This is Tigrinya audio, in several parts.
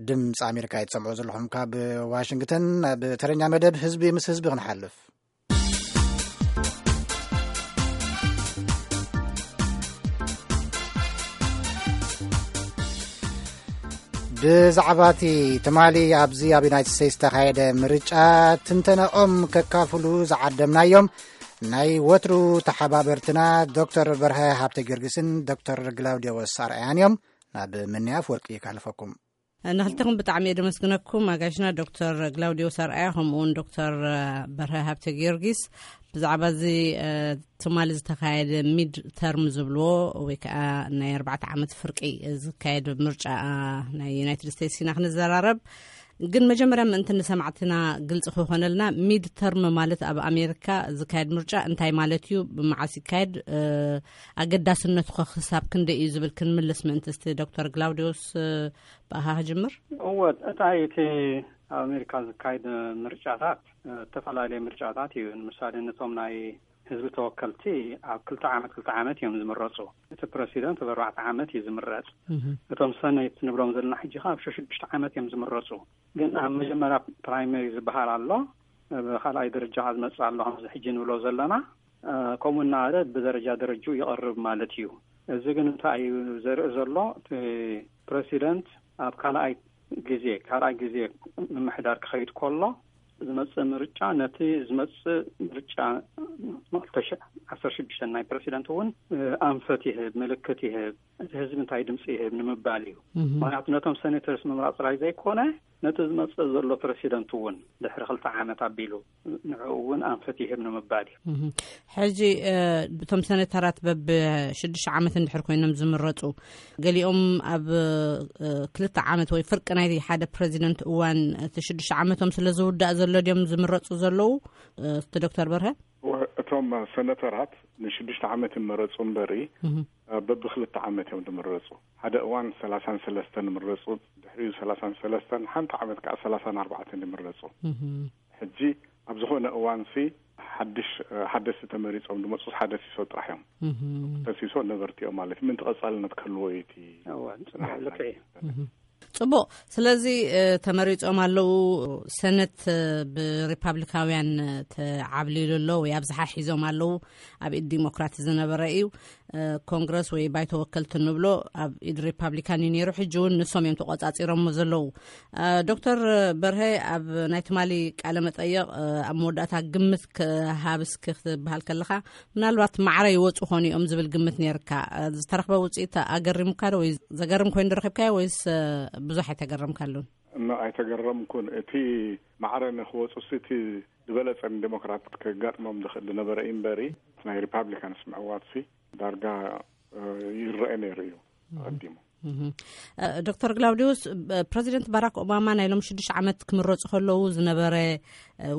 ድምፂ ኣሜሪካ እትሰምዑ ዘለኹም ካብ ዋሽንግተን። ናብ ተረኛ መደብ ህዝቢ ምስ ህዝቢ ክንሓልፍ፣ ብዛዕባ እቲ ትማሊ ኣብዚ ኣብ ዩናይትድ ስቴትስ ዝተኻየደ ምርጫ ትንተናኦም ከካፍሉ ዝዓደምናዮም ናይ ወትሩ ተሓባበርትና ዶክተር በርሀ ሃብተ ጊዮርጊስን ዶክተር ግላውዲዮስ ኣርኣያን እዮም። ናብ ምንያፍ ወርቂ ካልፈኩም። ንክልተኹም ብጣዕሚ እየ ደመስግነኩም፣ ኣጋሽና ዶክተር ግላውዲዮስ ኣርኣያ ከምኡ እውን ዶክተር በርሀ ሃብተ ጊዮርጊስ። ብዛዕባ እዚ ትማሊ ዝተኻየደ ሚድ ተርም ዝብልዎ ወይ ከዓ ናይ ኣርባዕተ ዓመት ፍርቂ ዝካየድ ምርጫ ናይ ዩናይትድ ስቴትስ ኢና ክንዘራረብ። ግን መጀመርያ ምእንቲ ንሰማዕትና ግልፂ ክኾነልና፣ ሚድ ተርም ማለት ኣብ ኣሜሪካ ዝካየድ ምርጫ እንታይ ማለት እዩ፣ ብመዓስ ይካየድ፣ ኣገዳስነቱ ከ ክሳብ ክንደይ እዩ ዝብል ክንምልስ ምእንቲ እስቲ ዶክተር ግላውዲዮስ ብኣኻ ክጅምር። እወ፣ እታይ እቲ ኣብ ኣሜሪካ ዝካየድ ምርጫታት፣ ዝተፈላለዩ ምርጫታት እዩ። ንምሳሌ ነቶም ናይ ህዝቢ ተወከልቲ ኣብ ክልተ ዓመት ክልተ ዓመት እዮም ዝምረፁ። እቲ ፕረሲደንት ኣብ ኣርባዕተ ዓመት እዩ ዝምረፅ። እቶም ሰኔት ንብሎም ዘለና ሕጂ ከ ኣብ ሽዱሽተ ዓመት እዮም ዝምረፁ። ግን ኣብ መጀመርያ ፕራይመሪ ዝበሃል ኣሎ፣ ኣብ ካልኣይ ደረጃ ዝመፅእ ኣሎ፣ ከምዚ ሕጂ ንብሎ ዘለና። ከምኡ እናበለ ብደረጃ ደረጅኡ ይቐርብ ማለት እዩ። እዚ ግን እንታይ እዩ ዘርኢ ዘሎ? እቲ ፕረሲደንት ኣብ ካልኣይ ግዜ ካልኣይ ግዜ ምምሕዳር ክኸይድ ከሎ ዝመፅእ ምርጫ፣ ነቲ ዝመፅእ ምርጫ ክልተ ሽሕ ዓሰርተ ሽዱሽተ ናይ ፕረሲደንት እውን ኣንፈት ይህብ፣ ምልክት ይህብ፣ እቲ ህዝቢ እንታይ ድምፂ ይህብ ንምባል እዩ። ምክንያቱ ነቶም ሰኔተርስ ምምራፅ ጥራይ ዘይኮነ፣ ነቲ ዝመፅእ ዘሎ ፕረሲደንት እውን ድሕሪ ክልተ ዓመት ኣቢሉ ንዕኡ እውን ኣንፈት ይህብ ንምባል እዩ። ሕጂ እቶም ሰነተራት በብ ሽዱሽተ ዓመት እንድሕር ኮይኖም ዝምረፁ፣ ገሊኦም ኣብ ክልተ ዓመት ወይ ፍርቂ ናይ ሓደ ፕረዚደንት እዋን እቲ ሽዱሽተ ዓመቶም ስለ ዝውዳእ ዘሎ ድዮም ዝምረፁ ዘለዉ? እቲ ዶክተር በርሀ፣ እቶም ሰነተራት ንሽዱሽተ ዓመት ይመረፁ እምበሪ፣ በብክልተ ዓመት እዮም ዝምረፁ። ሓደ እዋን ሰላሳን ሰለስተን ይምረፁ፣ ድሕሪኡ ሰላሳን ሰለስተን፣ ሓንቲ ዓመት ከዓ ሰላሳን ኣርባዕተን ይምረፁ። ሕጂ ኣብ ዝኾነ እዋንሲ ሓድሽ ሓደስቲ ተመሪፆም ዝመፁ ሓደ ሲሶ ጥራሕ እዮም። ተሲሶ ነበርቲ እዮም ማለት ምንቲ ቀፃልነት ክህልዎ እዩ እቲ እወ፣ ጽቡቕ፣ ልክዕ እዩ። ጽቡቕ። ስለዚ ተመሪጾም ኣለዉ። ሰነት ብሪፓብሊካውያን ተዓብሊሉ ኣሎ ወይ ኣብዝሓ ሒዞም ኣለዉ። ኣብ ኢድ ዲሞክራት ዝነበረ እዩ። ኮንግረስ ወይ ባይቶ ወከልቲ ንብሎ ኣብ ኢድ ሪፓብሊካን እዩ ነይሩ። ሕጂ እውን ንሶም እዮም ተቆጻጺሮሞ ዘለዉ። ዶክተር በርሀ፣ ኣብ ናይ ትማሊ ቃለ መጠየቕ ኣብ መወዳእታ ግምት ክሃብስ ክትበሃል ከለኻ፣ ምናልባት ማዕረ ይወፁ ኾኑ እዮም ዝብል ግምት ነይርካ። ዝተረኽበ ውፅኢት ኣገሪሙካ ዶ ወይ ዘገርም ኮይኑ ዶ ረኺብካዮ ወይስ ብዙሕ ኣይተገረምካሉን? እኖ ኣይተገረምኩን። እቲ ማዕረ ንክወፁ ሲ እቲ ዝበለፀ ንዴሞክራት ከጋጥሞም ዝኽእል ዝነበረ እዩ እምበሪ፣ ናይ ሪፓብሊካንስ ምዕዋትሲ ዳርጋ ይረአ ነይሩ እዩ ኣቐዲሙ። ዶክተር ግላውዲዮስ፣ ፕረዚደንት ባራክ ኦባማ ናይ ሎም ሽዱሽተ ዓመት ክምረፁ ከለዉ ዝነበረ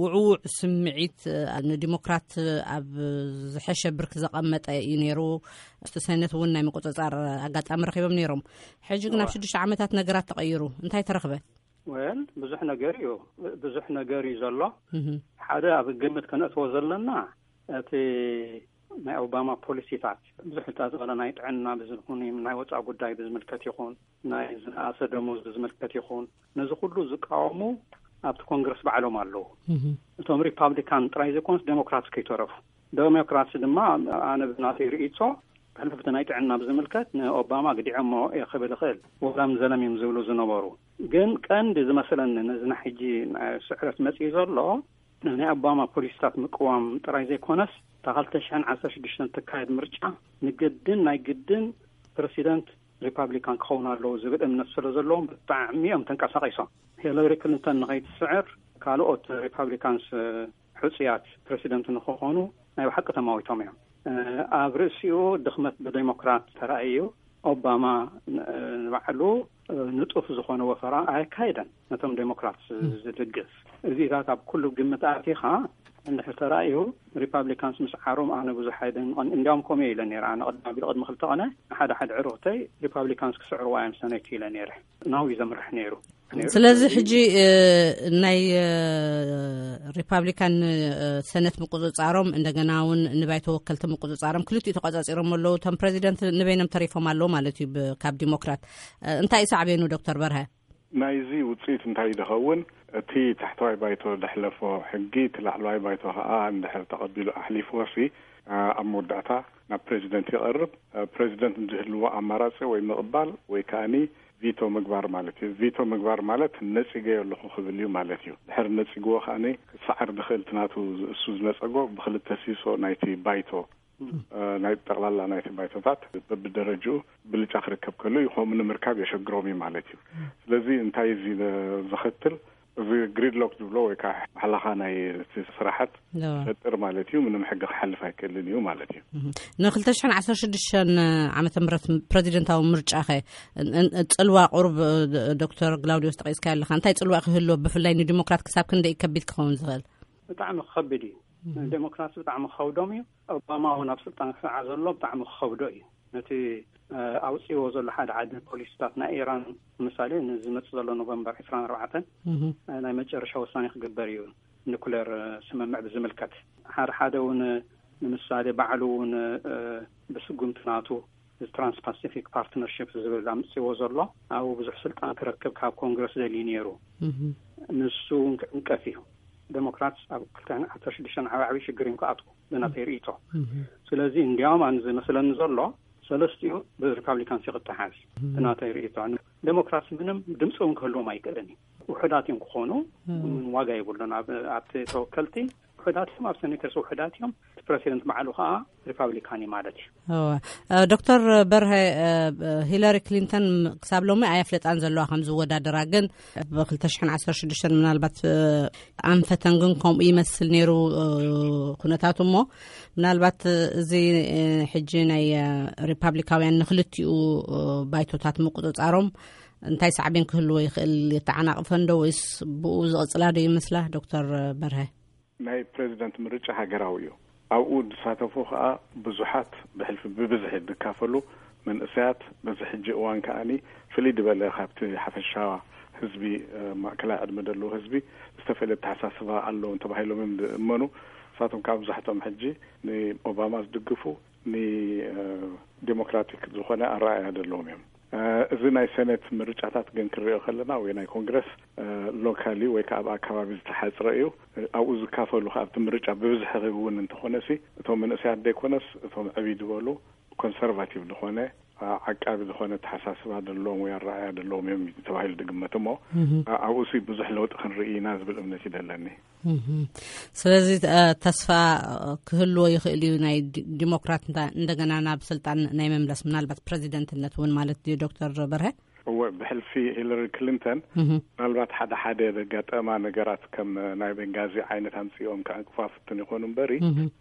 ውዕውዕ ስምዒት ንዲሞክራት ኣብ ዝሐሸ ብርክ ዘቐመጠ እዩ ነይሩ። እቲ ሰነት እውን ናይ ምቁፅፃር ኣጋጣሚ ረኪቦም ነይሮም። ሕጂ ግን ኣብ ሽዱሽተ ዓመታት ነገራት ተቐይሩ። እንታይ ተረክበ? ወል ብዙሕ ነገር እዩ፣ ብዙሕ ነገር እዩ ዘሎ። ሓደ ኣብ ግምት ከነእትዎ ዘለና እቲ ናይ ኦባማ ፖሊሲታት ብዙሕ ዝተዘበለ ናይ ጥዕና ብዝኹን ናይ ወፃኢ ጉዳይ ብዝምልከት ይኹን ናይ ዝነኣሰ ደሞዝ ብዝምልከት ይኹን ነዚ ኩሉ ዝቃወሙ ኣብቲ ኮንግረስ ባዕሎም ኣለዉ። እቶም ሪፓብሊካን ጥራይ ዘይኮኑስ ዴሞክራትስ ከይተረፉ፣ ዴሞክራትስ ድማ ኣነ ብናተይ ርእይቶ ብሕልፍቲ ናይ ጥዕና ብዝምልከት ንኦባማ ግዲዖሞ እየ ክብል እኽእል፣ ወላ ዘለሚ እዮም ዝብሉ ዝነበሩ። ግን ቀንዲ ዝመስለኒ ነዚ ናይ ሕጂ ናይ ስዕረት መፅኢ ዘሎ ናይ ኦባማ ፖሊሲታት ምቅዋም ጥራይ ዘይኮነስ እታ ክልተ ሽሕን ዓሰርተ ሽዱሽተን ትካየድ ምርጫ ንግድን ናይ ግድን ፕረሲደንት ሪፓብሊካን ክኸውን ኣለዎ ዝብል እምነት ስለ ዘለዎም ብጣዕሚ እዮም ተንቀሳቒሶም። ሂለሪ ክሊንተን ንኸይትስዕር ካልኦት ሪፓብሊካንስ ሕፁያት ፕረሲደንት ንክኾኑ ናይ ብሓቂ ተማዊቶም እዮም። ኣብ ርእሲኡ ድኽመት ብዴሞክራት ተራእዩ ኦባማ ንባዕሉ ንጡፍ ዝኾነ ወፈራ ኣየካየደን ነቶም ዴሞክራት ዝድግፍ። እዚታት ኣብ ኩሉ ግምት ኣቲኻ እንድሕር ተራእዩ ሪፓብሊካንስ ምስዓሮም ኣነ ብዙሕ ኣይደንቕን። እንዲያውም ከምኡ ኢለ ነይረ ኣነ ቅድሚ ኣቢሉ ቅድሚ ክልተ ቐነ ንሓደ ሓደ ዕሩኽተይ ሪፓብሊካንስ ክስዕርዋ እዮም ሰነይት ኢለ ነይረ። ናው እዩ ዘምርሕ ነይሩ። ስለዚ ሕጂ ናይ ሪፓብሊካን ሰነት ምቁፅፃሮም እንደገና እውን ንባይቶ ወከልቲ ምቁፅፃሮም ክልቲኡ ተቋፃፂሮም ኣለዉ። እቶም ፕረዚደንት ንበይኖም ተሪፎም ኣለዉ ማለት እዩ ካብ ዲሞክራት። እንታይ እዩ ሳዕቤኑ ዶክተር በርሀ? ናይዚ ውፅኢት እንታይ ዝኸውን? እቲ ታሕተዋይ ባይቶ ዘሕለፎ ሕጊ፣ እቲ ላዕለዋይ ባይቶ ከዓ እንድሕር ተቐቢሉ ኣሕሊፍዎ ሲ፣ ኣብ መወዳእታ ናብ ፕሬዚደንት ይቐርብ። ፕሬዚደንት ዝህልዎ ኣማራፂ ወይ ምቕባል ወይ ከዓኒ ቪቶ ምግባር ማለት እዩ። ቪቶ ምግባር ማለት ነፂገዮ ኣለኹ ክብል እዩ ማለት እዩ። ድሕር ነፂግዎ ከዓኒ ክሰዓር ዝኽእል እቲ ናቱ፣ እሱ ዝነፀጎ ብክልተ ሲሶ ናይቲ ባይቶ፣ ናይ ጠቕላላ ናይቲ ባይቶታት በብደረጅኡ ብልጫ ክርከብ ከሎ እዩ። ከምኡ ንምርካብ የሸግሮም እዩ ማለት እዩ። ስለዚ እንታይ እዚ ዘኸትል? እዚ ግሪድሎክ ዝብሎ ወይ ከዓ ባሕላኻ ናይ እቲ ስራሓት ይፈጥር ማለት እዩ። ምንም ሕጊ ክሓልፍ ኣይክእልን እዩ ማለት እዩ። ንክልተ ሽሕን ዓሰርተ ሽዱሽተን ዓመተ ምህረት ፕሬዚደንታዊ ምርጫኸ፣ ጽልዋ ቁሩብ ዶክተር ግላውዲዮስ ጠቂስካ ኣለካ። እንታይ ጽልዋ ክህልዎ፣ ብፍላይ ንዲሞክራት ክሳብ ክንደይ ከቢድ ክኸውን ዝኽእል? ብጣዕሚ ክኸብድ እዩ። ንዴሞክራሲ ብጣዕሚ ክኸብዶም እዩ። ኦባማ እውን ኣብ ስልጣን ክሰዓ ዘሎ ብጣዕሚ ክኸብዶ እዩ። ነቲ ኣውፅዎ ዘሎ ሓደ ሓደ ፖሊሲታት ናይ ኢራን፣ ምሳሌ ንዝመፅእ ዘሎ ኖቨምበር ዕስራን ኣርባዕተን ናይ መጨረሻ ውሳኔ ክግበር እዩ። ኒኩሌር ስምምዕ ብዝምልከት ሓደ ሓደ እውን ንምሳሌ ባዕሉ እውን ብስጉምቲ ናቱ እዚ ትራንስፓሲፊክ ፓርትነርሽፕ ዝብል ኣምፅዎ ዘሎ ኣብኡ ብዙሕ ስልጣን ክረክብ ካብ ኮንግረስ ደልዩ ነይሩ። ንሱ እውን ክዕንቀፍ እዩ። ዴሞክራትስ ኣብ ክልተ ዓሰርተ ሽዱሽተ ዓብዓቢ ሽግር እዮም ክኣትዉ ብናተይ ርእይቶ። ስለዚ እንዲያውም ኣነ ዝመስለኒ ዘሎ ሰለስቲኡ ብሪፓብሊካንስ ክተሓዝ ብናተይ ርእይቶ። ዴሞክራትስ ምንም ድምፂ እውን ክህልዎም ኣይክእልን እዩ። ውሕዳት እዮም ክኾኑ፣ ምንም ዋጋ የብሉን። ኣብ ኣብቲ ተወከልቲ ውሕዳት እዮም፣ ኣብ ሴኔተርስ ውሕዳት እዮም። እቲ ፕሬዚደንት ባዕሉ ከዓ ሪፓብሊካን እዩ ማለት እዩ። ዶክተር በርሀ፣ ሂለሪ ክሊንተን ክሳብ ሎሚ ኣየፍለጣን ዘለዋ ከም ዝወዳደራ፣ ግን ብ ክልተ ሽሕን ዓሰርተ ሽዱሽተን ምናልባት ኣንፈተን ግን ከምኡ ይመስል ነይሩ ኩነታቱ። እሞ ምናልባት እዚ ሕጂ ናይ ሪፓብሊካውያን ንክልቲኡ ባይቶታት ምቁፅፃሮም እንታይ ሳዕቤን ክህልዎ ይኽእል? የተዓናቕፈን ዶ ወይስ ብኡ ዝቕፅላ ዶ ይመስላ? ዶክተር በርሀ። ናይ ፕሬዚደንት ምርጫ ሃገራዊ እዩ። ኣብኡ ዝሳተፉ ከዓ ብዙሓት፣ ብሕልፊ ብብዝሒ ዝካፈሉ መንእሰያት፣ በዚ ሕጂ እዋን ከዓኒ ፍልይ ዝበለ ካብቲ ሓፈሻ ህዝቢ፣ ማእከላይ ዕድመ ዘለዎ ህዝቢ ዝተፈለየ ኣተሓሳስባ ኣለዎም ተባሂሎም እዮም ዝእመኑ። ንሳቶም ከዓ ብዙሓቶም ሕጂ ንኦባማ ዝድግፉ፣ ንዴሞክራቲክ ዝኾነ ኣረኣእያ ዘለዎም እዮም። እዚ ናይ ሴኔት ምርጫታት ግን ክንሪኦ ከለና ወይ ናይ ኮንግረስ ሎካሊ ወይ ከዓ ኣብ ኣከባቢ ዝተሓፅረ እዩ። ኣብኡ ዝካፈሉ ከዓ ኣብቲ ምርጫ ብብዝሒ እውን እንተኾነ ሲ፣ እቶም መንእሰያት ዘይኮነስ እቶም ዕብይ ዝበሉ ኮንሰርቫቲቭ ዝኾነ ዓቃቢ ዝኾነ ተሓሳስባ ዘለዎም ወይ ኣረኣያ ዘለዎም እዮም ተባሂሉ ዝግመት። እሞ ኣብኡ ሲ ብዙሕ ለውጢ ክንርኢ ኢና ዝብል እምነት እዩ ዘለኒ። ስለዚ ተስፋ ክህልዎ ይኽእል እዩ ናይ ዲሞክራት እንደገና ናብ ስልጣን ናይ መምለስ፣ ምናልባት ፕሬዚደንትነት እውን ማለት ድዩ ዶክተር በርሀ? እወ፣ ብሕልፊ ሂለሪ ክሊንተን ምናልባት ሓደ ሓደ ዘጋጠማ ነገራት ከም ናይ ቤንጋዚ ዓይነት ኣምፅኦም ከዕንቅፋ ፍትን ይኾኑ እምበሪ፣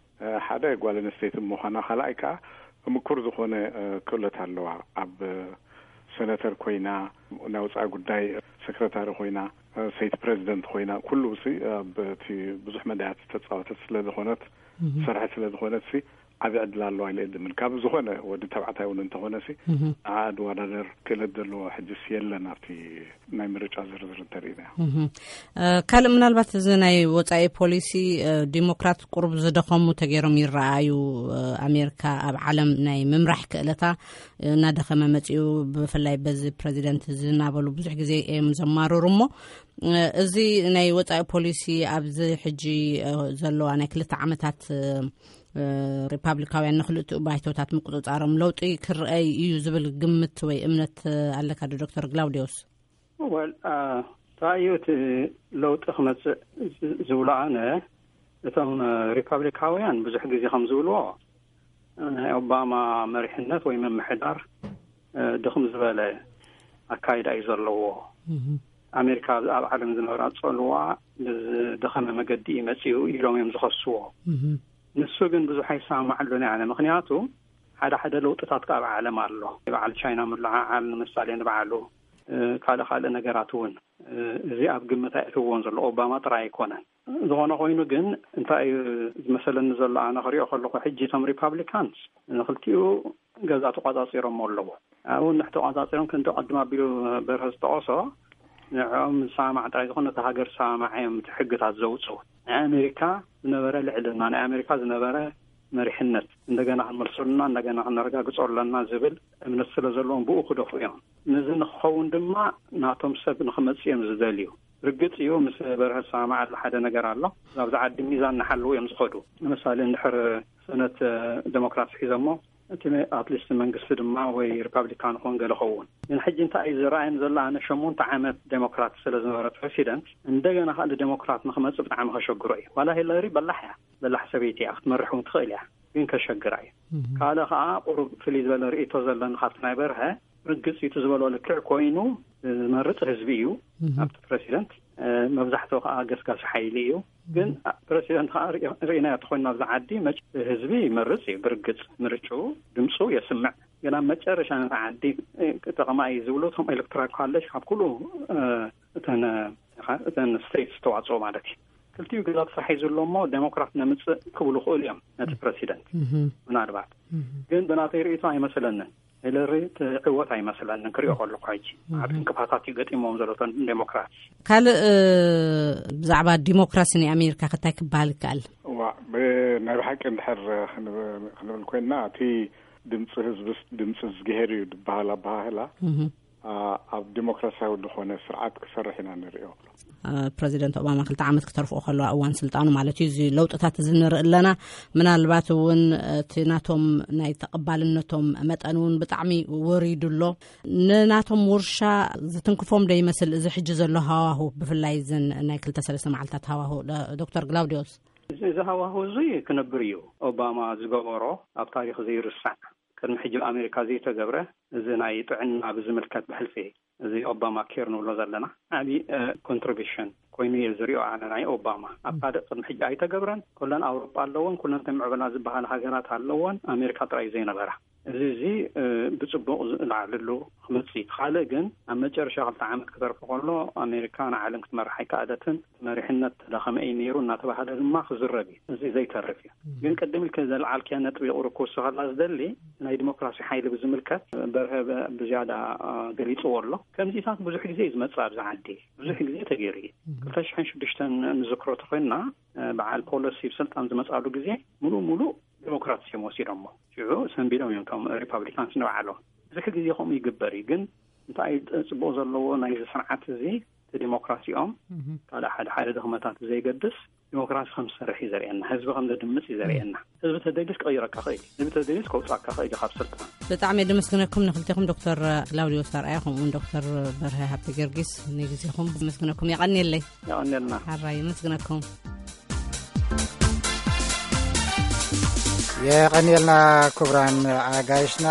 ሓደ ጓል ኣንስተይቲ ምዃና፣ ካልኣይ ከዓ ምኩር ዝኾነ ክእለት ኣለዋ። ኣብ ሴነተር ኮይና፣ ናይ ወፃኢ ጉዳይ ሴክረታሪ ኮይና፣ ሰይቲ ፕሬዚደንት ኮይና፣ ኩሉ ሲ ኣብ እቲ ብዙሕ መዳያት ዝተፃወተት ስለ ዝኾነት፣ ዝሰርሐት ስለ ዝኾነት ሲ ዓብዪ ዕድል ኣለዋ ኢለ እየ ዝምን። ካብ ዝኾነ ወዲ ተባዕታይ እውን እንተኾነ ሲ ንዓ ድወዳደር ክእለት ዘለዎ ሕጅስ የለን ኣብቲ ናይ ምርጫ ዝርዝር እንተሪእና። ካልእ ምናልባት እዚ ናይ ወፃኢ ፖሊሲ ዲሞክራት ቁሩብ ዝደኸሙ ተገይሮም ይረኣዩ። ኣሜሪካ ኣብ ዓለም ናይ ምምራሕ ክእለታ እናደኸመ መፂኡ፣ ብፍላይ በዚ ፕሬዚደንት እዚ እናበሉ ብዙሕ ግዜ እዮም ዘማርሩ። እሞ እዚ ናይ ወፃኢ ፖሊሲ ኣብዚ ሕጂ ዘለዋ ናይ ክልተ ዓመታት ሪፓብሊካውያን ንክልቲኡ ባይቶታት ምቁፅፃሮም ለውጢ ክረኣይ እዩ ዝብል ግምት ወይ እምነት ኣለካ ዶ ዶክተር ግላውዲዮስ? ወል እንታይ እዩ እቲ ለውጢ ክመፅእ ዝብሎ? ኣነ እቶም ሪፓብሊካውያን ብዙሕ ግዜ ከም ዝብልዎ ናይ ኦባማ መሪሕነት ወይ ምምሕዳር ድኽም ዝበለ ኣካይዳ እዩ ዘለዎ። ኣሜሪካ ኣብ ዓለም ዝነበራ ፀልዋ ብዝደኸመ መገዲ እዩ መፂኡ ኢሎም እዮም ዝኸስዎ። ንሱ ግን ብዙሕ ኣይሰማማዓሉን እየ ኣነ። ምክንያቱ ሓደ ሓደ ለውጥታት ከኣ ኣብ ዓለም ኣሎ። በዓል ቻይና ምልዓዓል ንምሳሌ ንበዓሉ፣ ካልእ ካልእ ነገራት እውን እዚ ኣብ ግምት ኣየእትውዎን ዘሎ ኦባማ ጥራይ ኣይኮነን። ዝኾነ ኮይኑ ግን እንታይ እዩ ዝመሰለኒ ዘሎ ኣነ ክሪኦ ከለኹ ሕጂ እቶም ሪፓብሊካንስ ንክልቲኡ ገዛ ተቋፃፂሮም ኣለዉ። ኣብኡ እንድሕር ተቋፃፂሮም ክንዲ ቅድም ኣቢሉ በርሀ ዝጠቐሶ ንዕኦም ዝሰማማዕ ጥራይ ዝኾነ እቲ ሃገር ዝሰማማዕ እዮም እቲ ሕግታት ዘውፅኡ። ናይ ኣሜሪካ ዝነበረ ልዕልና፣ ናይ ኣሜሪካ ዝነበረ መሪሕነት እንደገና ክንመልሰሉና እንደገና ክነረጋግጾ ኣለና ዝብል እምነት ስለ ዘለዎም ብኡ ክደፉ እዮም። ነዚ ንክኸውን ድማ ናቶም ሰብ ንክመጽእ እዮም ዝደልዩ። ርግጽ እዩ፣ ምስ በርሀ ዝሰማማዓሉ ሓደ ነገር ኣሎ። ኣብዚ ዓዲ ሚዛን ንሓልው እዮም ዝኸዱ። ንምሳሌ እንድሕር ሰነት ዴሞክራት ሒዘሞ እቲ ኣትሊስት መንግስቲ ድማ ወይ ሪፓብሊካን ኾን ገለ ኸውን። ግን ሕጂ እንታይ እዩ ዝረኣየን ዘሎ? ኣነ ሸሞንተ ዓመት ዴሞክራት ስለ ዝነበረ ፕሬሲደንት እንደገና ካልእ ዴሞክራት ንክመጽእ ብጣዕሚ ከሸግሮ እዩ። ዋላ ሂለሪ በላሕ እያ፣ በላሕ ሰበይቲ እያ፣ ክትመርሕ እውን ትኽእል እያ፣ ግን ከሸግራ እዩ። ካልእ ከዓ ቁሩብ ፍልይ ዝበለ ርእይቶ ዘለኒ ካብቲ ናይ በርሀ፣ ርግጽ እዩ ዝበሎ ልክዕ ኮይኑ ዝመርጽ ህዝቢ እዩ። ኣብቲ ፕሬሲደንት መብዛሕትኡ ከዓ ገስጋሲ ሓይሊ እዩ። ግን ፕሬሲደንት ከዓ ርእናዮ ተኮይኑ ኣብዚ ዓዲ ህዝቢ ይመርጽ እዩ። ብርግጽ ምርጭኡ ድምፁ የስምዕ። ግን ኣብ መጨረሻ ነቲ ዓዲ ጠቐማ እዩ ዝብሉ እቶም ኤሌክቶራል ኮሌጅ ካብ ኩሉ እተን እተን ስቴትስ ዝተዋፅኦ ማለት እዩ። ክልቲኡ ግዛት ስራሕ እዩ ዘሎ እሞ ዴሞክራት ነምፅእ ክብሉ ክእሉ እዮም ነቲ ፕሬሲደንት። ምናልባት ግን ብናተይ ርእይቶ ኣይመስለንን። ሂለሪ ትዕወት ኣይመስለንን ክሪኦ ከለኩ ሕጂ። ዓብ ዕንቅፋታት እዩ ገጢሞም ዘሎ እቶም ዴሞክራት። ካልእ ብዛዕባ ዲሞክራሲ ናይ ኣሜሪካ ከታይ ክበሃል ይከኣል? ዋ፣ ብናይ ብሓቂ እንድሕር ክንብል ኮይንና እቲ ድምፂ ህዝብስ ድምፂ እዝግሄር እዩ ዝበሃል ኣበሃህላ ኣብ ዲሞክራሲያዊ ዝኾነ ስርዓት ክሰርሕ ኢና ንሪኦ። ፕረዚደንት ኦባማ ክልተ ዓመት ክተርፍኦ ከለዋ እዋን ስልጣኑ ማለት እዩ። እዚ ለውጥታት እዚ ንርኢ ኣለና። ምናልባት እውን እቲ ናቶም ናይ ተቐባልነቶም መጠን እውን ብጣዕሚ ወሪዱ ኣሎ። ንናቶም ውርሻ ዝትንክፎም ዶ ይመስል እዚ ሕጂ ዘሎ ሃዋሁ፣ ብፍላይ እዘን ናይ ክልተ ሰለስተ መዓልታት ሃዋሁ? ዶክተር ግላውዲዮስ? እዚ ሃዋሁ እዚ ክነብር እዩ። ኦባማ ዝገበሮ ኣብ ታሪክ ዘይርሳዕ፣ ቅድሚ ሕጂ ኣብ ኣሜሪካ ዘይተገብረ፣ እዚ ናይ ጥዕና ብዝምልከት ብሕልፊ እዚ ኦባማ ኬር ንብሎ ዘለና ዓብዪ ኮንትሪቢሽን ኮይኑ እየ ዝሪኦ ኣነ ናይ ኦባማ። ኣብ ካልእ ቅድሚ ሕጂ ኣይተገብረን። ኩለን ኣውሮጳ ኣለወን፣ ኩለን ተምዕበላ ዝበሃል ሃገራት ኣለወን፣ ኣሜሪካ ጥራይ ዘይነበራ። እዚ እዚ ብፅቡቅ ዝለዓልሉ ክመፅእ እዩ። ካልእ ግን ኣብ መጨረሻ ክልተ ዓመት ክተርፎ ከሎ ኣሜሪካ ንዓለም ክትመርሕ ኣይከኣለትን። መሪሕነት ተዳኸመ እዩ ነይሩ እናተባሃለ ድማ ክዝረብ እዩ። እዚ ዘይተርፍ እዩ። ግን ቅድም ኢልከ ዘልዓልከያ ነጥቢ ቁሩብ ክውስኸላ ዝደሊ ናይ ዲሞክራሲ ሓይሊ ብዝምልከት በርሀ ብዝያዳ ገሊፅዎ ኣሎ። ከምዚታት ብዙሕ ግዜ እዩ ዝመፅእ ኣብዚ ዓዲ፣ ብዙሕ ግዜ ተገይሩ እዩ። ክልተ ሽሕን ሽዱሽተን ንዝክሮ ተኮይንና በዓል ፖለሲ ብስልጣን ዝመፅኣሉ ግዜ ሙሉእ ሙሉእ ዲሞክራትስ እዮም ወሲዶሞ። ሽዑ ሰንቢዶም እዮም እቶም ሪፓብሊካንስ ንባዕሎም። ብዙሕ ግዜ ከምኡ ይግበር እዩ። ግን እንታይ ጽቡቕ ዘለዎ ናይዚ ስርዓት እዚ እቲ ዲሞክራሲኦም ካልእ ሓደ ሓደ ድኽመታት ዘይገድስ ዲሞክራሲ ከም ዝሰርሕ እዩ ዘርእየና። ህዝቢ ከም ዘድምጽ እዩ ዘርእየና። ህዝቢ ተደልዩስ ክቕይረካ ኽእል እዩ። ህዝቢ ተደልዩስ ከውጻካ ኽእል እዩ ካብ ስልጣን። ብጣዕሚ የድመስግነኩም ንክልቴኹም ዶክተር ክላውዲዮስ ኣርኣያ ከምኡውን ዶክተር በርሀ ሃብተ ጊዮርጊስ ንግዜኹም። የመስግነኩም። የቐንየለይ። የቐንየልና። ሓራይ የመስግነኩም። የቐንየልና ክቡራን ኣጋይሽና።